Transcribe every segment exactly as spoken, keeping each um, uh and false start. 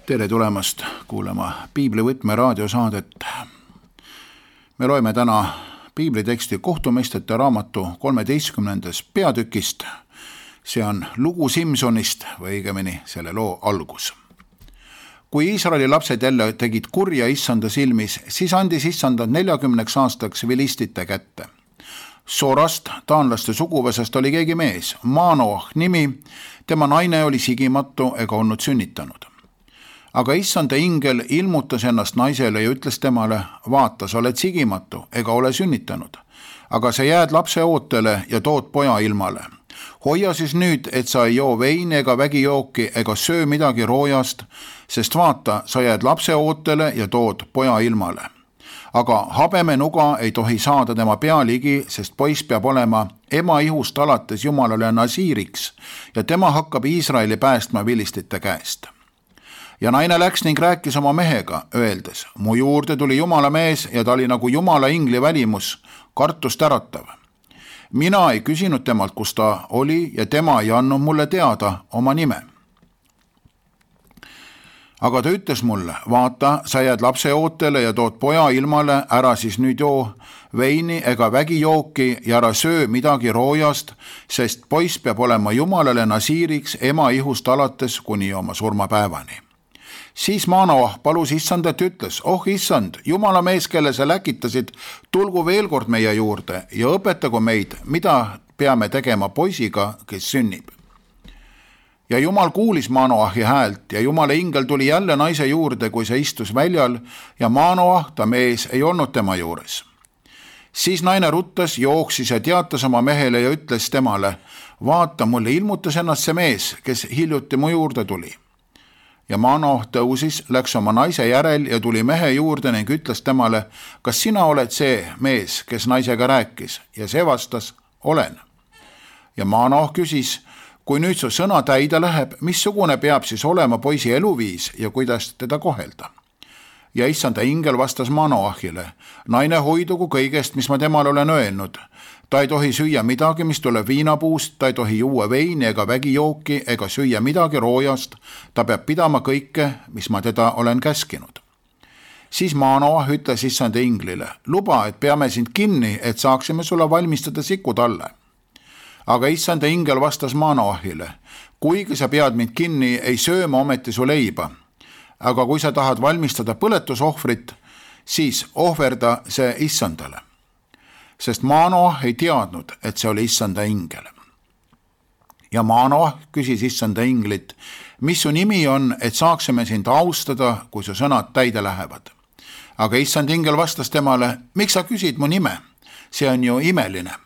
Tere tulemast kuulama Piiblivõtme raadiosaadet. Me loeme täna piibliteksti Kohtumeistrite raamatu kolmeteistkümnendast peatükist. See on lugu Simsonist või õigemini selle loo algus. Kui Iisraeli lapsed jälle tegid kurja issanda silmis, siis andis issandad neljakümneks aastaks vilistite kätte. Sorast, taanlaste suguvõsast oli keegi mees, Manoah nimi, tema naine oli sigimatu ega olnud sünnitanud. Aga issanda ingel ilmutas ennast naisele ja ütles temale, vaata, sa oled sigimatu ega ole sünnitanud, aga sa jääd lapse ootele ja tood poja ilmale. Hoia siis nüüd, et sa ei joo veini ega vägijooki ega söö midagi roojast, sest vaata, sa jääd lapse ootele ja tood poja ilmale. Aga habeme nuga ei tohi saada tema pea ligi, sest poiss peab olema ema ihust alates Jumalale nasiiriks ja tema hakkab Iisraeli päästma vilistite käest. Ja naine läks ning rääkis oma mehega, öeldes, mu juurde tuli Jumala mees ja ta oli nagu Jumala ingli välimus, kartust äratav. Mina ei küsinud temalt, kus ta oli ja tema ei andnud mulle teada oma nime. Aga ta ütles mulle, vaata, sa jääd lapse ootele ja tood poja ilmale, ära siis nüüd joo veini ega vägijooki ja ära söö midagi roojast, sest poiss peab olema Jumalale nasiiriks ema ihust alates kuni oma surmapäevani. Siis Manoah palus issandat ütles, oh issand, Jumala mees, kelle sa läkitasid, tulgu veel kord meie juurde ja õpetagu meid, mida peame tegema poisiga, kes sünnib. Ja Jumal kuulis Manoahi häält ja Jumala ingel tuli jälle naise juurde, kui see istus väljal ja Manoah, ta mees, ei olnud tema juures. Siis naine ruttas, jooksis ja teatas oma mehele ja ütles temale, vaata, mulle ilmutas ennast see mees, kes hiljuti mu juurde tuli. Ja Manoah tõusis, läks oma naise järel ja tuli mehe juurde ning ütles temale, kas sina oled see mees, kes naisega rääkis? Ja see vastas, olen. Ja Manoah küsis, kui nüüd su sõna täide läheb, missugune peab siis olema poisi eluviis ja kuidas teda kohelda? Ja issanda ingel vastas Manoahile, naine hoidugu kõigest, mis ma temale olen öelnud. Ta ei tohi süüa midagi, mis tuleb viinapuust, ta ei tohi juua veini ega vägijooki ega süüa midagi roojast, ta peab pidama kõike, mis ma teda olen käskinud. Siis Manoah ütles issanda inglile, luba, et peame sind kinni, et saaksime sulle valmistada sikutalle. Aga issanda ingel vastas Manoahile, kuigi sa pead mind kinni, ei sööma ometi su leiba. Aga kui sa tahad valmistada põletusohvrit, siis ohverda see issandale. Sest Manoah ei teadnud, et see oli issanda ingel. Ja Manoah küsis issanda inglit, mis su nimi on, et saaksime sind austada, kui su sõnad täide lähevad. Aga issand ingel vastas temale, miks sa küsid mu nime? See on ju imeline.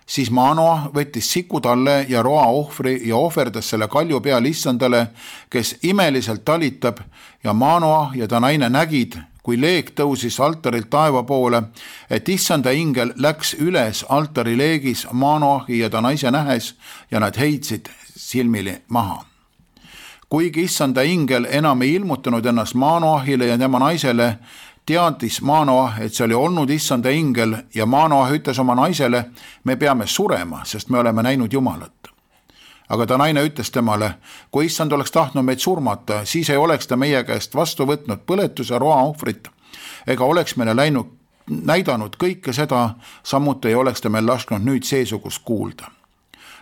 Siis Manoah võttis sikutalle ja roa ohvri ja ohverdas selle kalju peal issandale, kes imeliselt talitab ja Manoah ja ta naine nägid, kui leek tõusis altarilt taeva poole, et issanda ingel läks üles altari leegis Manoahi ja ta naise nähes ja nad heitsid silmili maha. Kuigi issanda ingel enam ei ilmutanud ennast Manoahile ja tema naisele, teadis Manoah, et see oli olnud issanda ingel ja Manoah ütles oma naisele, me peame surema, sest me oleme näinud Jumalat. Aga ta naine ütles temale, kui issand oleks tahtnud meid surmata, siis ei oleks ta meie käest vastu võtnud põletuse roa ohvrit, ega oleks meile läinud, näidanud kõike seda, samuti ei oleks ta meil lasknud nüüd seesugust kuulda.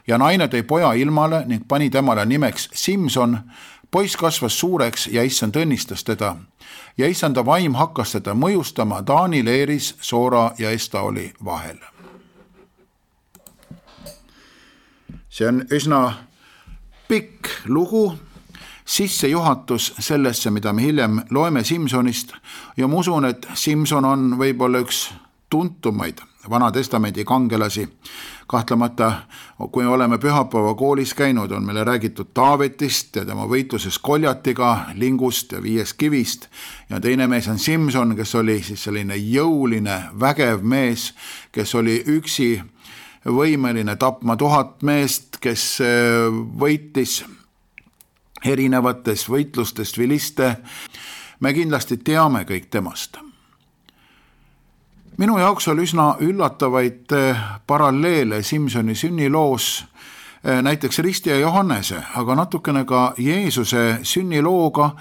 Ja naine tõi poja ilmale ning pani temale nimeks Simson, poiss kasvas suureks ja issand õnnistas teda ja issanda vaim hakkas teda mõjustama Taani leeris Soora ja Estaoli vahel. See on üsna pikk lugu, sissejuhatus sellesse, mida me hiljem loeme Simsonist ja ma usun, et Simson on võib-olla üks tuntumaid Vana testamendi kangelasi. Kahtlemata, kui oleme pühapäeva koolis käinud, on meile räägitud Taavetist ja tema võitluses Koljatiga, lingust ja viiest kivist. Ja teine mees on Simson, kes oli siis selline jõuline, vägev mees, kes oli üksi võimeline tapma tuhat meest, kes võitis erinevatest võitlustest viliste. Me kindlasti teame kõik temast. Minu jaoks oli üsna üllatavaid paralleele Simsoni sünniloos näiteks Risti ja Johannese, aga natukene ka Jeesuse sünnilooga,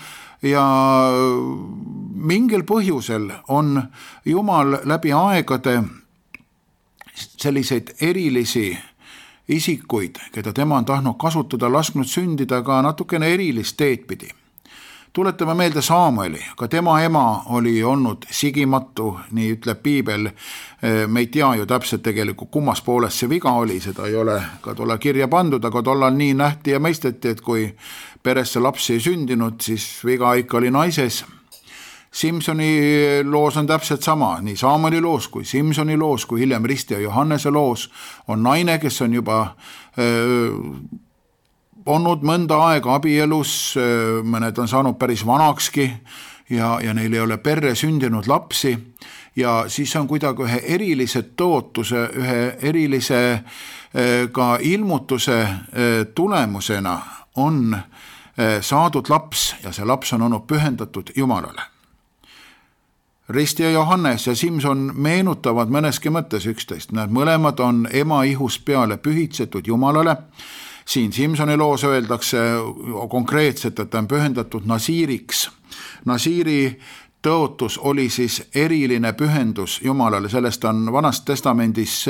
ja mingil põhjusel on Jumal läbi aegade selliseid erilisi isikuid, keda tema on tahtnud kasutada, lasknud sündida ka natukene erilist teed pidi. Tuletame meelde Saamueli, ka tema ema oli olnud sigimatu, nii ütleb piibel. Me ei tea ju täpselt tegelikult, kummas pooles see viga oli, seda ei ole ka tolle kirja pandud, aga tollal nii nähti ja mõisteti, et kui peresse lapsi ei sündinud, siis viga ikka oli naises. Simsoni loos on täpselt sama, nii Saamueli loos kui Simsoni loos, kui hiljem Risti ja Johannese loos on naine, kes on juba öö, olnud mõnda aega abielus, mõned on saanud päris vanakski ja, ja neil ei ole perre sündinud lapsi ja siis on kuidagi ühe erilise tõotuse, ühe erilise ka ilmutuse tulemusena on saadud laps ja see laps on olnud pühendatud Jumalale. Risti ja Johannes ja Simson meenutavad mõneski mõttes üksteist, nad mõlemad on ema ihust peale pühitsetud Jumalale. Siin Simsoni loos öeldakse konkreetselt, et ta on pühendatud Nasiiriks. Nasiiri tõotus oli siis eriline pühendus Jumalale, sellest on Vanas Testamendis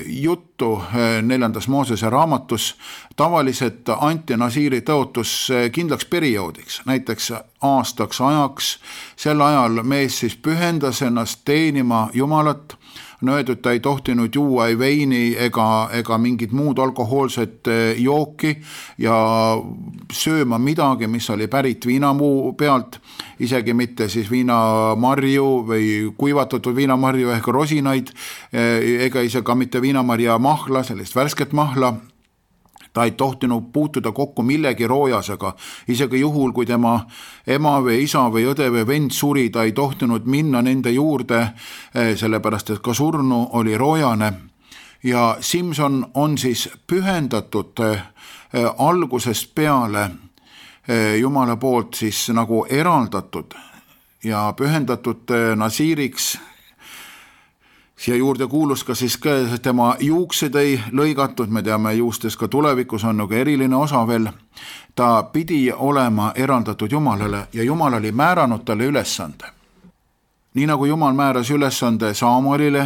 juttu neljandas Moosese raamatus. Tavaliselt anti Nasiiri tõotus kindlaks perioodiks, näiteks aastaks ajaks. Sel ajal mees siis pühendas ennast teenima Jumalat. On öeldud, ta ei tohtinud juua ei veini ega, ega mingit muud alkohoolset jooki ja sööma midagi, mis oli pärit viinamuu pealt, isegi mitte siis viinamarju või kuivatatud viinamarju ehk rosinaid, ega isegi ka mitte viinamarja mahla, sellist värsket mahla. Ta ei tohtinud puutuda kokku millegi roojasega, isegi juhul, kui tema ema või isa või õde või vend suri, ta ei tohtinud minna nende juurde, sellepärast et ka surnu oli roojane. Ja Simson on siis pühendatud algusest peale Jumala poolt siis nagu eraldatud ja pühendatud Nasiiriks. Siia juurde kuulus ka siis ka tema juuksed ei lõigatud, me teame juustes ka tulevikus on nagu eriline osa veel. Ta pidi olema eraldatud Jumalale ja Jumal oli määranud talle ülesande. Nii nagu Jumal määras ülesande Saamuelile,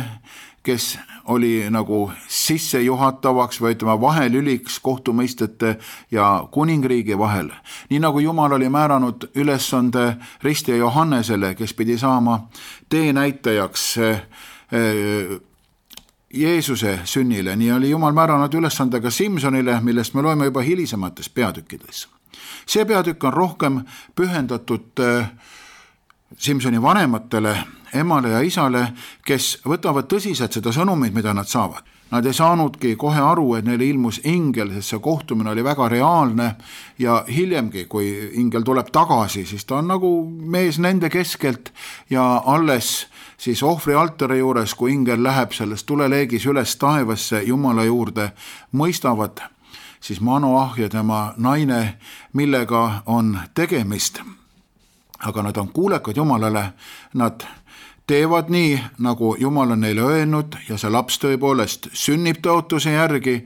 kes oli nagu sissejuhatavaks või ütleme vahelüliks kohtumõistete ja kuningriigi vahel. Nii nagu Jumal oli määranud ülesande Risti ja Johannesele, kes pidi saama teenäitajaks Jeesuse sünnile, nii oli Jumal määranud ülesandega Simsonile, millest me loeme juba hilisemates peatükkides. See peatükk on rohkem pühendatud Simsoni vanematele, emale ja isale, kes võtavad tõsiselt seda sõnumit, mida nad saavad. Nad ei saanudki kohe aru, et neile ilmus ingel, sest see kohtumine oli väga reaalne ja hiljemgi, kui ingel tuleb tagasi, siis ta on nagu mees nende keskelt ja alles siis ohvri altari juures, kui ingel läheb sellest tuleleegis üles taevasse Jumala juurde, mõistavad siis Manoah ja tema naine, millega on tegemist. Aga nad on kuulekad Jumalale, nad teevad nii, nagu Jumal on neile öelnud ja see laps tõepoolest sünnib tõotuse järgi,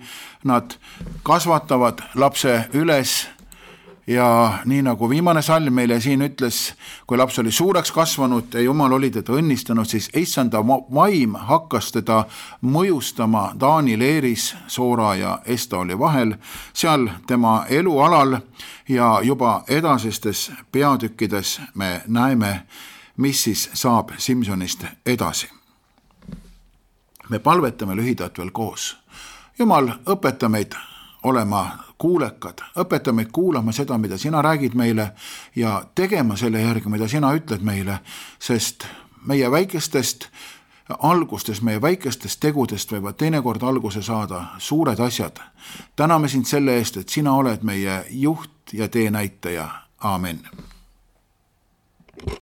nad kasvatavad lapse üles ja nii nagu viimane salm meile siin ütles, kui laps oli suureks kasvanud ja Jumal oli teda õnnistanud, siis issanda vaim hakkas teda mõjustama Taani leeris Soora ja Estaoli vahel, seal tema elualal ja juba edasistes peatükkides me näeme, mis siis saab Simsonist edasi. Me palvetame lühidalt veel koos. Jumal, õpeta meid olema kuulekad, õpeta meid kuulama seda, mida sina räägid meile ja tegema selle järgi, mida sina ütled meile, sest meie väikestest algustest, meie väikestest tegudest võivad teinekord alguse saada suured asjad. Täname sind selle eest, et sina oled meie juht ja teenäitaja. Aamen.